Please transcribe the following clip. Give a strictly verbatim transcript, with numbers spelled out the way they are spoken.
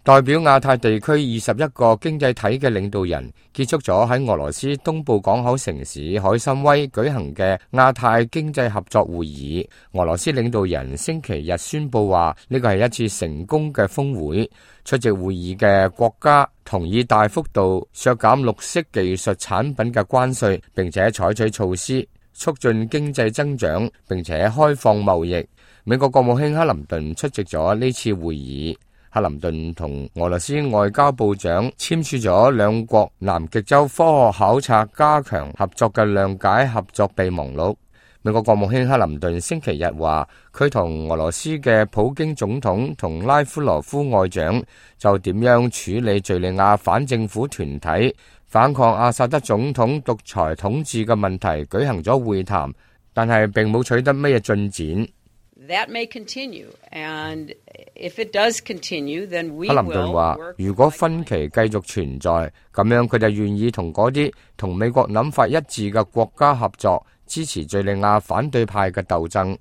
代表亞太地區二十一個經濟體嘅領導人結束咗喺俄羅斯東部港口城市海參崴舉行嘅亞太經濟合作會議。俄羅斯領導人星期日宣布話，呢個係一次成功嘅峰會。出席會議嘅國家同意大幅度削減綠色技術產品嘅關稅，並且採取措施促進經濟增長，並且開放貿易。美國國務卿克林頓出席咗呢次會議。克林頓同俄羅斯外交部長簽署咗兩國南極洲科學考察加強合作嘅諒解合作備忘錄。美國國務卿克林頓星期日話，佢同俄羅斯嘅普京總統同拉夫羅夫外長就點樣處理敘利亞反政府團體反抗阿薩德總統獨裁統治嘅問題舉行咗會談，但係並冇取得咩進展。That may continue, and if it does continue, then we 克林頓話，如果分歧繼續存在，咁樣佢就願意同嗰啲同美國諗法一致嘅國家合作，支持敘利亞反對派嘅鬥爭。